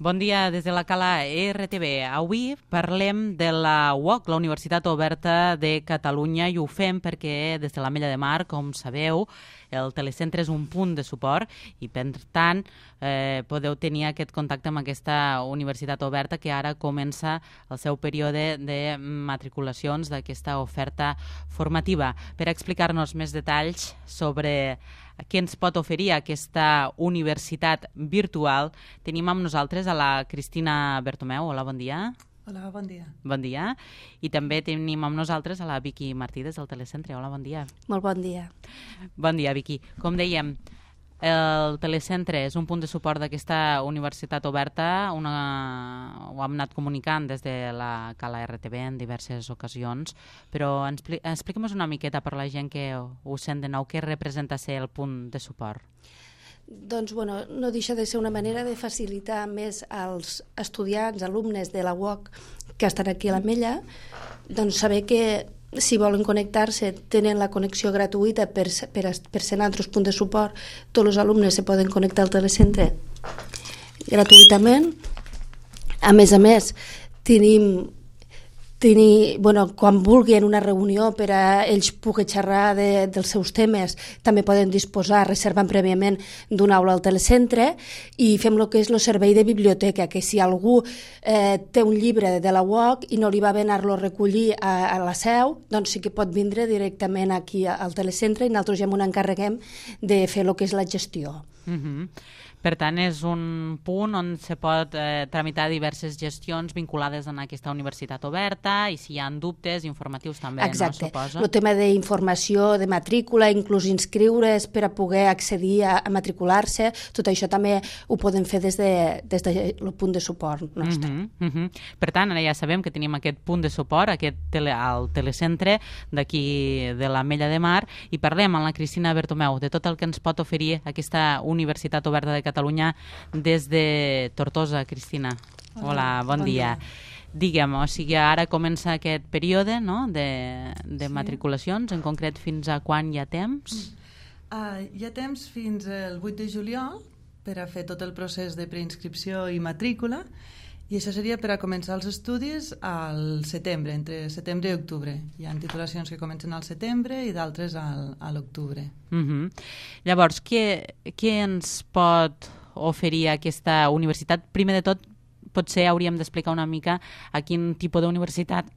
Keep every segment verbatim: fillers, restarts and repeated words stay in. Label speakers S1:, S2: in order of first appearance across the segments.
S1: Bon dia des de la Cala R T V. Avui parlem de la U O C, la Universitat Oberta de Catalunya, i ho fem perquè des de l'Ametlla de Mar, com sabeu, el telecentre és un punt de suport i, per tant, eh, podeu tenir aquest contacte amb aquesta Universitat Oberta que ara comença el seu període de matriculacions d'aquesta oferta formativa. Per explicar-nos més detalls sobre què ens pot oferir aquesta universitat virtual, tenim amb nosaltres a la Cristina Bertomeu. Hola, bon dia.
S2: Hola, bon dia.
S1: Bon dia. I també tenim amb nosaltres a la Vicky Martí des del telecentre. Hola, bon dia.
S3: Molt bon dia.
S1: Bon dia, Vicky. Com dèiem, el telecentre és un punt de suport d'aquesta universitat oberta. Una... Ho hem anat comunicant des de la Cala R T V en diverses ocasions, però expliquem-nos una miqueta per la gent que ho sent de nou, què representa ser el punt de suport.
S3: Doncs, bueno, no deixa de ser una manera de facilitar més als estudiants, alumnes de la U O C que estan aquí a l'Ametlla, doncs saber que si volen connectar-se tenen la connexió gratuïta per, per, per ser en altres punts de suport. Tots els alumnes se poden connectar al telecentre gratuïtament. A més a més, tenim tenir, bueno, quan vulguin una reunió per a ells poder xerrar de, dels seus temes, també poden disposar, reservant prèviament d'una aula al telecentre, i fem el que és el servei de biblioteca, que si algú eh, té un llibre de la U O C i no li va bé anar-lo a recollir a, a la seu, doncs sí que pot vindre directament aquí al telecentre i nosaltres ja m'ho encarreguem de fer el que és la gestió.
S1: Uh-huh. Per tant, és un punt on se pot eh, tramitar diverses gestions vinculades a aquesta universitat oberta, i si hi ha dubtes, informatius també,
S3: exacte.
S1: No, suposo?
S3: El tema d'informació, de matrícula, inclús inscriure's per a poder accedir a, a matricular-se, tot això també ho podem fer des de, des de el punt de suport nostre.
S1: Uh-huh, uh-huh. Per tant, ara ja sabem que tenim aquest punt de suport, aquest tele, al telecentre d'aquí de l'Ametlla de Mar, i parlem amb la Cristina Bertomeu de tot el que ens pot oferir aquesta Universitat Oberta de Catalunya des de Tortosa. Cristina, hola, hola bon, bon dia. dia. Digue'm, o sigui, ara comença aquest període, no?, de, de sí. matriculacions, en concret fins a quan hi ha temps?
S2: Uh, hi ha temps fins al vuit de juliol per a fer tot el procés de preinscripció i matrícula, i això seria per a començar els estudis al setembre, entre setembre i octubre. Hi ha titulacions que comencen al setembre i d'altres al, a l'octubre.
S1: Uh-huh. Llavors, què, què ens pot oferir aquesta universitat? Primer de tot, potser hauríem d'explicar una mica a quin tipus d'universitat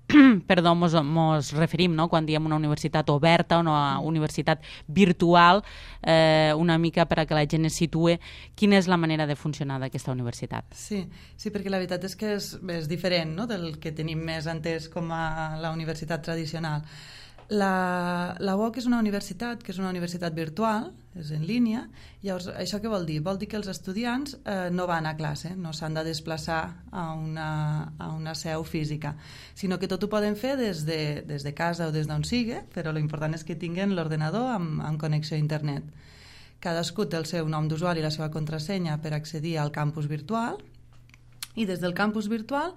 S1: perdó, mos, mos referim, no?, quan diem una universitat oberta o una universitat virtual, eh, una mica per a que la gent es situe quina és la manera de funcionar d'aquesta universitat.
S2: Sí, sí, perquè la veritat és que és, és diferent, no?, del que tenim més entès com a la universitat tradicional. La, la U O C és una universitat que és una universitat virtual, és en línia. Llavors, això què vol dir? Vol dir que els estudiants eh, no van a classe, no s'han de desplaçar a una, a una seu física, sinó que tot ho poden fer des de, des de casa o des d'on sigui, però l'important és que tinguin l'ordenador amb, amb connexió a internet. Cadascú té el seu nom d'usuari i la seva contrasenya per accedir al campus virtual, i des del campus virtual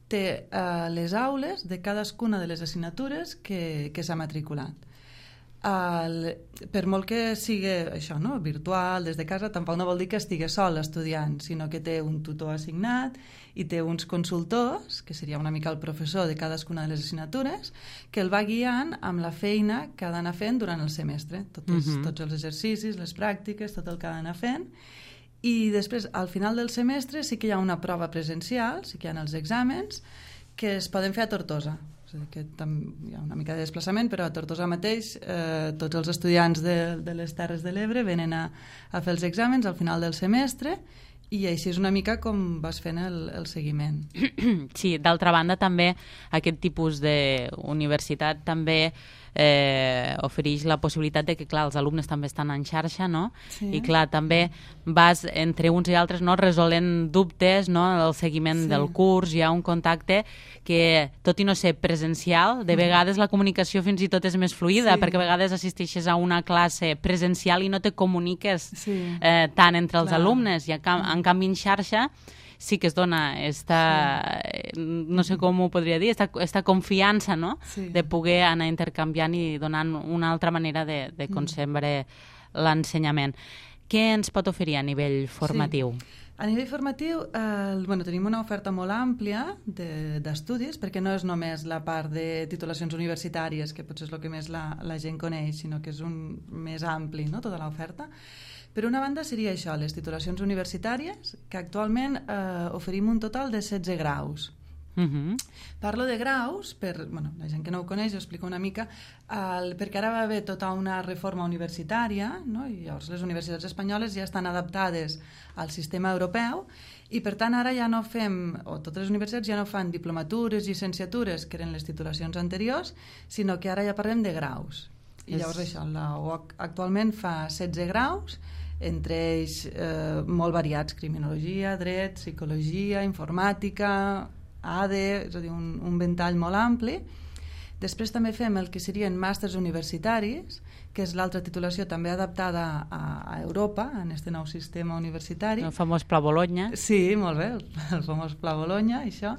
S2: té uh, les aules de cadascuna de les assignatures que, que s'ha matriculat. Uh, per molt que sigui això, no?, virtual, des de casa, tampoc no vol dir que estigui sol l'estudiant, sinó que té un tutor assignat i té uns consultors, que seria una mica el professor de cadascuna de les assignatures, que el va guiant amb la feina que ha d'anar fent durant el semestre, tots, uh-huh. tots els exercicis, les pràctiques, tot el que ha d'anar fent. I després, al final del semestre, sí que hi ha una prova presencial, sí que hi ha els exàmens, que es poden fer a Tortosa. O sigui que hi ha una mica de desplaçament, però a Tortosa mateix eh, tots els estudiants de, de les Terres de l'Ebre venen a, a fer els exàmens al final del semestre, i així és una mica com vas fent el, el seguiment.
S1: Sí, d'altra banda també aquest tipus d'universitat també eh, ofereix la possibilitat de que, clar, els alumnes també estan en xarxa, no? Sí. I, clar, també vas entre uns i altres, no?, resolent dubtes, no?, el seguiment sí. del curs, hi ha un contacte que, tot i no ser presencial, de vegades la comunicació fins i tot és més fluida, sí. perquè a vegades assisteixes a una classe presencial i no te comuniques sí. eh, tant entre els clar. alumnes, i en, en canvi en xarxa sí que es dona esta, sí. no sé com ho podria dir, esta, esta confiança, no?, sí. de poder anar intercanviant i donant una altra manera de, de concebre mm. l'ensenyament. Què ens pot oferir a nivell formatiu?
S2: Sí. A nivell formatiu, eh, bueno, tenim una oferta molt àmplia d'estudis, de, perquè no és només la part de titulacions universitàries, que potser és el que més la, la gent coneix, sinó que és un més ampli, no?, tota l'oferta. Per una banda seria això, les titulacions universitàries, que actualment eh, oferim un total de setze graus.
S1: Uh-huh.
S2: Parlo de graus, per bueno, la gent que no ho coneix, ho explico una mica, el, perquè ara va haver tota una reforma universitària, no? I llavors les universitats espanyoles ja estan adaptades al sistema europeu i per tant ara ja no fem, o totes les universitats ja no fan diplomatures, llicenciatures, que eren les titulacions anteriors, sinó que ara ja parlem de graus. I és... llavors això, la U O C actualment fa setze graus, entre ells eh, molt variats, criminologia, dret, psicologia, informàtica, A D E, és a dir, un, un ventall molt ampli. Després també fem el que serien màsters universitaris, que és l'altra titulació també adaptada a, a Europa, en aquest nou sistema universitari.
S1: El famós Pla Bologna.
S2: Sí, molt bé, el, el famós Pla Bologna, això.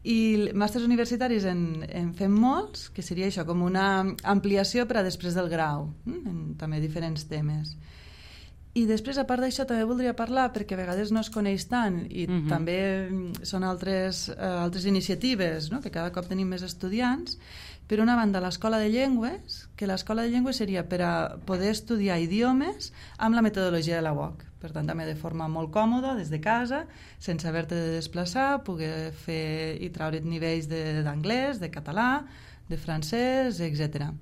S2: I màsters universitaris en, en fem molts, que seria això, com una ampliació per a després del grau, en també diferents temes. I després, a part d'això, també voldria parlar, perquè a vegades no es coneix tant, i uh-huh. també són altres, uh, altres iniciatives, no?, que cada cop tenim més estudiants. Per una banda, l'Escola de Llengües, que l'Escola de Llengües seria per a poder estudiar idiomes amb la metodologia de la U O C. Per tant, també de forma molt còmoda, des de casa, sense haver-te de desplaçar, poder fer i traure't nivells d'anglès, de, de català, de francès, etcètera.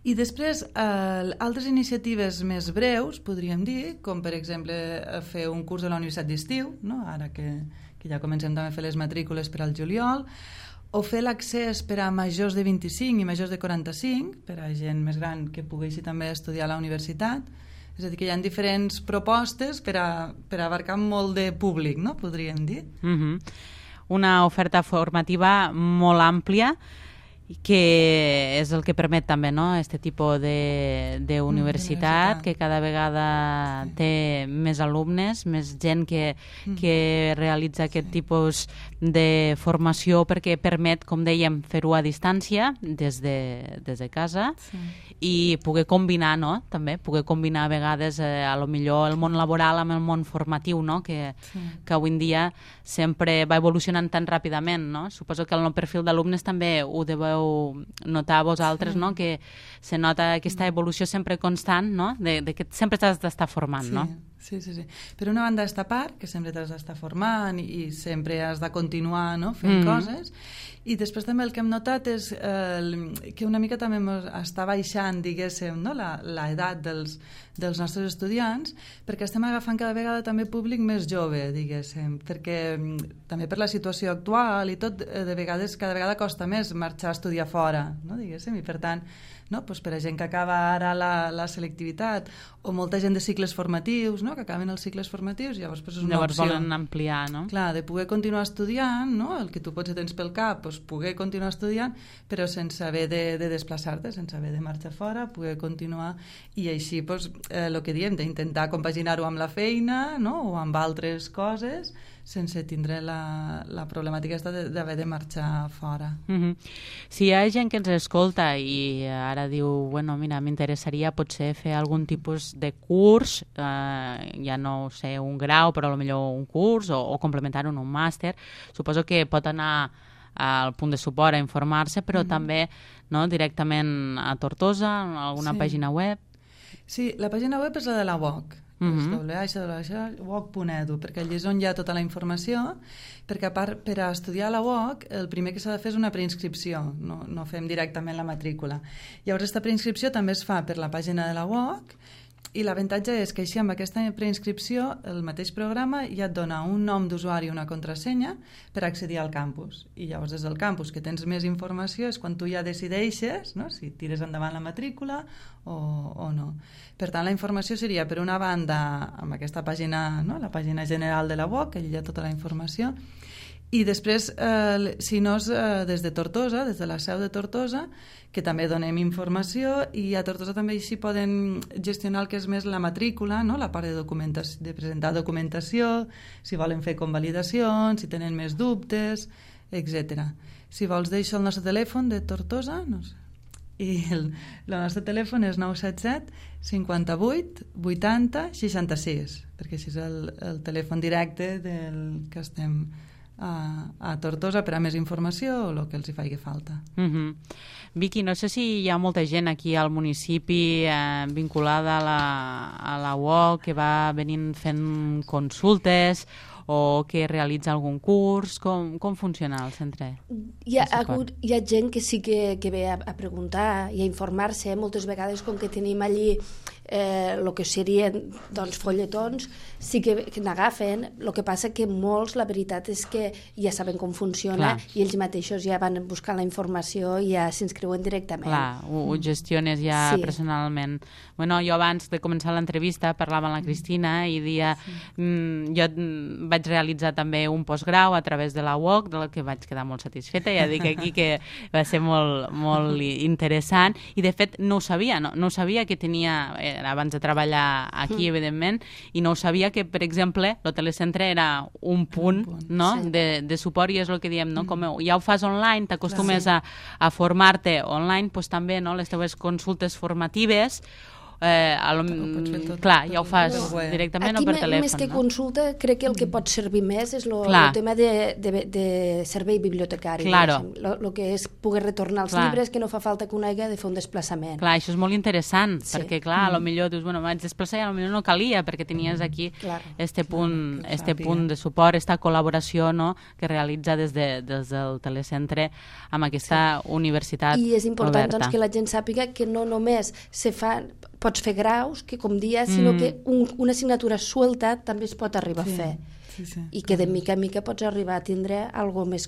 S2: I després, eh, altres iniciatives més breus, podríem dir, com per exemple fer un curs a la Universitat d'Estiu, no?, ara que, que ja comencem també a fer les matrícules per al juliol, o fer l'accés per a majors de vint-i-cinc i majors de quaranta-cinc, per a gent més gran que poguessi també estudiar a la universitat. És a dir, que hi ha diferents propostes per a, per a abarcar molt de públic, no?, podríem dir.
S1: Uh-huh. Una oferta formativa molt àmplia, que és el que permet també, no?, este tipus de, de universitat, que cada vegada sí. té més alumnes, més gent que, que realitza aquest sí. tipus de formació, perquè permet, com dèiem, fer-ho a distància des de, des de casa sí. i poder combinar, no?, també, poder combinar a vegades eh, a lo millor el món laboral amb el món formatiu, no?, que, sí. que avui en dia sempre va evolucionant tan ràpidament, no? Suposo que el nou perfil d'alumnes també ho deveu notar vosaltres, sí. no?, que se nota aquesta evolució sempre constant, no?, de, de que sempre t'has d'estar formant,
S2: sí.
S1: no?
S2: Sí, sí, sí. Per una banda, aquesta part, que sempre t'has d'estar formant i, i sempre has de continuar, no?, fent mm. coses. I després també el que hem notat és eh, que una mica també està baixant, diguéssim, no?, l'edat dels, dels nostres estudiants, perquè estem agafant cada vegada també públic més jove, diguéssim, perquè també per la situació actual i tot, de vegades, cada vegada costa més marxar a estudiar fora, no?, diguéssim, i per tant, no? Pues per a gent que acaba ara la, la selectivitat o molta gent de cicles formatius, no? Que acaben els cicles formatius, llavors pues, és una
S1: llavors
S2: opció.
S1: Volen ampliar, no?
S2: Clar, de poder continuar estudiant, no? El que tu potser tens pel cap, pues, poder continuar estudiant, però sense haver de, de desplaçar-te, sense haver de marxar fora, poder continuar, i així pues, eh, el que diem, d'intentar compaginar-ho amb la feina, no? O amb altres coses, sense tindre la, la problemàtica d'haver de marxar fora.
S1: Mm-hmm. Si hi ha gent que ens escolta i ara diu, bueno, mira, m'interessaria potser fer algun tipus de curs, eh, ja no sé, un grau, però potser un curs, o, o complementar-ho en un màster, suposo que pot anar al punt de suport a informar-se, però mm-hmm. també, no, directament a Tortosa, a alguna sí. pàgina web.
S2: Sí, la pàgina web és la de la U O C.
S1: Uh-huh.
S2: w h w w punt u o c punt e d u, perquè allí és on hi ha tota la informació, perquè a part, per a estudiar a la U O C el primer que s'ha de fer és una preinscripció, no, no fem directament la matrícula. Llavors aquesta preinscripció també es fa per la pàgina de la U O C, i l'avantatge és que així amb aquesta preinscripció el mateix programa ja et dona un nom d'usuari i una contrasenya per accedir al campus, i llavors des del campus que tens més informació és quan tu ja decideixes, no?, si tires endavant la matrícula o, o no. Per tant, la informació seria per una banda amb aquesta pàgina, no?, la pàgina general de la U O C, que allà hi ha tota la informació, i després, eh, si no és eh, des de Tortosa, des de la seu de Tortosa, que també donem informació, i a Tortosa també així poden gestionar el que és més la matrícula, no?, la part de, documentació, de presentar documentació, si volen fer convalidacions, si tenen més dubtes, etcètera. Si vols deixo el nostre telèfon de Tortosa, no sé. I el, el nostre telèfon és nou set set cinquanta-vuit vuitanta seixanta-sis, perquè així és el, el telèfon directe del que estem a, a Tortosa per a més informació o el que els hi faci falta.
S1: Uh-huh. Vicky, no sé si hi ha molta gent aquí al municipi eh, vinculada a la, a la U O C que va venint fent consultes o que realitza algun curs. Com, com funciona el centre?
S3: Hi ha, hagut, hi ha gent que sí que, que ve a, a preguntar i a informar-se. Moltes vegades, com que tenim allí eh, el que serien doncs, folletons, sí que, que n'agafen. El que passa que molts, la veritat és que ja saben com funciona. Clar. I ells mateixos ja van buscar la informació i ja s'inscriuen directament.
S1: Clar, ho, ho gestiones ja sí. personalment. Bueno, jo abans de començar l'entrevista parlava amb la Cristina i dia, sí. mm, jo vaig realitzar també un postgrau a través de la U O C, del que vaig quedar molt satisfeta, ja dic aquí que va ser molt, molt interessant, i de fet no ho sabia, no, no ho sabia que tenia, era abans de treballar aquí, evidentment, i no ho sabia que, per exemple, el telecentre era un punt, un punt no? sí. de, de suport, i és el que diem, no? Com ja ho fas online, t'acostumes sí. a, a formar-te online, doncs també no? les teves consultes formatives, Eh, lo, tot, clar, ja ho fas directament
S3: aquí
S1: o per telèfon.
S3: Més que
S1: no?
S3: consulta, crec que el que pot servir més és el tema de, de, de servei bibliotecari.
S1: Claro.
S3: El que és poder retornar els clar. llibres, que no fa falta que un hagi de fer un desplaçament.
S1: Clar, això és molt interessant, sí. perquè clar, mm. potser dius, bueno, vaig desplaçar i potser no calia, perquè tenies aquí claro. este punt, claro, este punt de suport, esta col·laboració no? que realitza des, de, des del telecentre amb aquesta sí. universitat
S3: I és important
S1: oberta.
S3: Doncs, que la gent sàpiga que no només se fan pots fer graus, que com dia, sinó mm. que un, una assignatura suelta també es pot arribar sí, a fer. Sí, sí. I que de mica en mica pots arribar a tindre algo més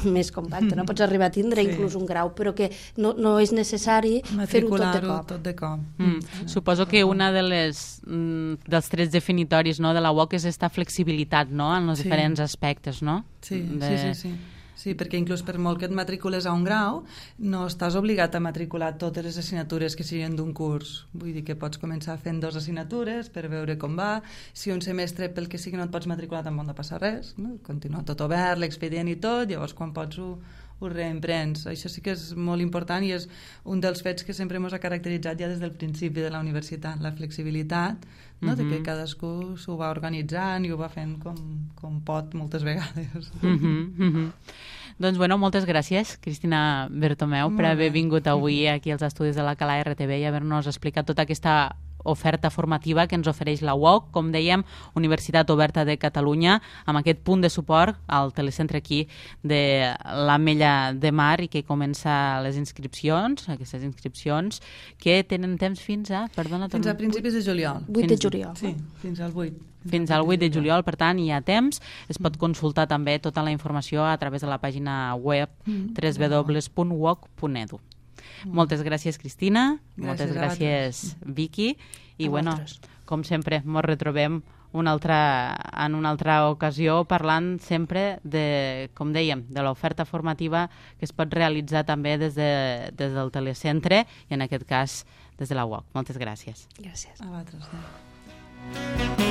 S3: més compacte, no? Pots arribar a tindre sí. inclús un grau, però que no, no és necessari fer-ho tot de cop.
S2: Tot de cop.
S1: Mm. Mm. Suposo que una de les mm, dels trets definitoris no, de la U O C és aquesta flexibilitat no, en els sí. diferents aspectes, no?
S2: Sí,
S1: de...
S2: sí, sí, sí. Sí, perquè inclús per molt que et matricules a un grau, no estàs obligat a matricular totes les assignatures que siguin d'un curs. Vull dir que pots començar fent dues assignatures per veure com va. Si un semestre, pel que sigui, no et pots matricular, tampoc no passa res. No? Continua tot obert, l'expedient i tot, llavors quan pots ho, ho reemprens. Això sí que és molt important i és un dels fets que sempre ens ha caracteritzat ja des del principi de la universitat, la flexibilitat, no? Mm-hmm. de que cadascú s'ho va organitzant i ho va fent com, com pot moltes vegades.
S1: Mm-hmm, mm-hmm. Doncs bueno, moltes gràcies, Cristina Bertomeu, Molt per haver bé. vingut avui aquí als estudis de la Cala R T V i haver-nos explicat tota aquesta oferta formativa que ens ofereix la U O C, com dèiem, Universitat Oberta de Catalunya, amb aquest punt de suport al telecentre aquí de l'Ametlla de Mar i que comença les inscripcions, aquestes inscripcions que tenen temps fins a... Perdona,
S2: fins a principis de juliol.
S3: vuit de juliol.
S2: Sí, fins al vuit.
S1: Fins al vuit de juliol, per tant, hi ha temps. Es pot consultar també tota la informació a través de la pàgina web w w w punt u o c punt e d u. Moltes gràcies, Cristina. Gràcies moltes gràcies, Vicky. I, bueno, com sempre, ens retrobem una altra, en una altra ocasió parlant sempre de, com dèiem, de l'oferta formativa que es pot realitzar també des, de, des del telecentre i, en aquest cas, des de la U O C. Moltes gràcies.
S3: Gràcies.
S2: A vosaltres.